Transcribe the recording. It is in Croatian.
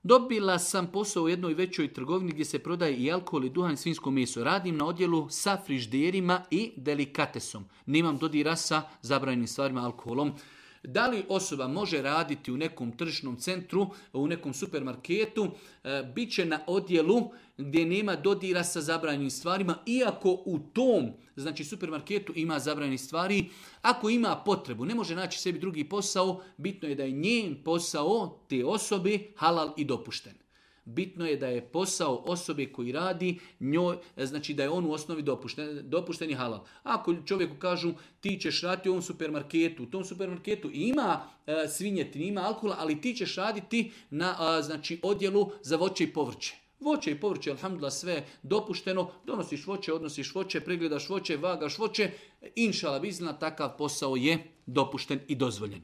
Dobila sam posao u jednoj većoj trgovini gdje se prodaje i alkohol i duhan i svinjsko meso. Radim na odjelu sa frižderima i delikatesom. Nemam dodira sa zabranjenim stvarima alkoholom. Da li osoba može raditi u nekom tržišnom centru, u nekom supermarketu, bit će na odjelu gdje nema dodira sa zabranjenim stvarima, iako u tom supermarketu ima zabranjenih stvari. Ako ima potrebu, ne može naći sebi drugi posao, bitno je da je njen posao te osobe halal i dopušten. Bitno je da je posao osobe koji radi njoj, znači da je on u osnovi dopušten i halal. Ako čovjeku kažu ti ćeš raditi u ovom supermarketu, u tom supermarketu ima svinjetine, ima alkohola, ali ti ćeš raditi na odjelu za voće i povrće. Voće i povrće, alhamdulillah, sve dopušteno, donosiš voće, odnosiš voće, pregledaš voće, vagaš voće, inšala bizna, takav posao je dopušten i dozvoljen.